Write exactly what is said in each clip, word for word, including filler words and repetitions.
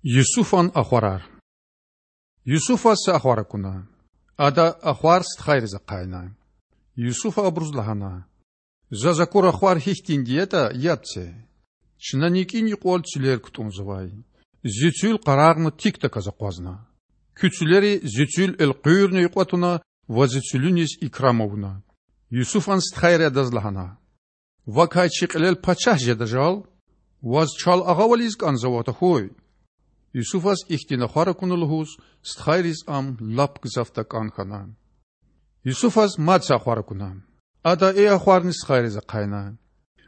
Юсуфан ахварар. Юсуфаз са ахвар акуна. Ада ахвар стхайриз ахъайна. Юсуфа абуруз лагьана: Заз акур ахвар гьихьтинди ятӀа, яб це. Чна никӀин юкьвал цуьлер кутӀунзавай. Зи цуьл къарагъна тикдаказ акъвазна. Куь цуьлери зи цуьл элкъуьрна юкьва туна ва зи цуьлуьниз икрам авуна. Юсуфан стхайри адаз лагьана: Вакай чи кьилел пачагь жеда жал? Ваз чал агъавал ийиз кӀанзава тахьуй. Юсуфаз ихьтин ахвар акуна лугьуз, стхайриз ам лап гзаф такӀан хьана. Юсуфаз мад са ахвар акуна. Ада и ахварни стхайриз ахъайна.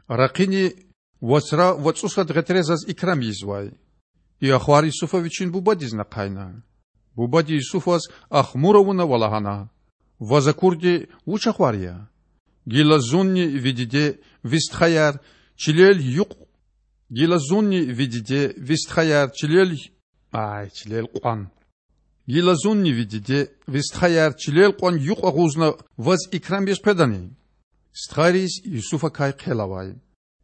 Ракъини вацра вацӀусад гъетре заз икрам ийизвай. И ахвар Юсуфа вичин бубадизни ахъайна. Бубади Юсуфаз ахмур авуна ва лагьана: Ваз акурди вуч ахвар я? Гила зунни ви диде, ви стхаяр чилел юкь... Гила зунни ви диде, ви стхаяр чилел... Ай, чилел кьван. Гила зунни ви диде, ви стхаяр чилел кьван юкь агъузна ваз икрам ийиз къведани? Стхайриз Юсуфакай хъел авай.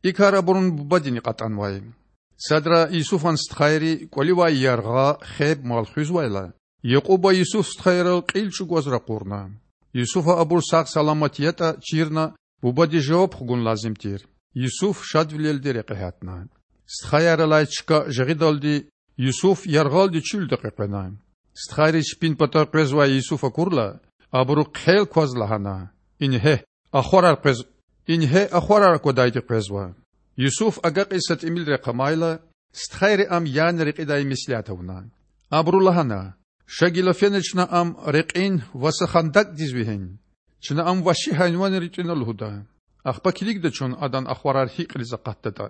И кар абурун бубадини кьатӀанвай. Садра Юсуфан стхайри кӀваливай яргъа, хеб, мал хуьзвайла, Якьуба Юсуф стхайрал кьил чӀугваз ракъурна. Юсуфа абур сагъ-саламат ятӀа чирна, бубадиз жаваб хгун лазим тир. Юсуф шадвилелди рекье гьатна. Стхаяр алай чка жагъидалди Юсуф яргъалди чуьлда къекъвена. Стхайри чпин патав къвезвай Юсуф акурла, абуру хъел кваз лагьана: Ингье, ахварар къвез... Ингье, ахварар аквадайди къвезва. Юсуф агакьиз са тӀимил рехъ амайла, стхайри ам яна рекьидай меслят авуна. Абуру лагьана: Ша гила фена чна ам рекьин ва са хандакӀдиз вегьин. Чна ам вагьши гьайванри тӀуьна лугьуда. Ахпа килигда чун адан ахварар гьикӀ кьилиз акъатдатӀа.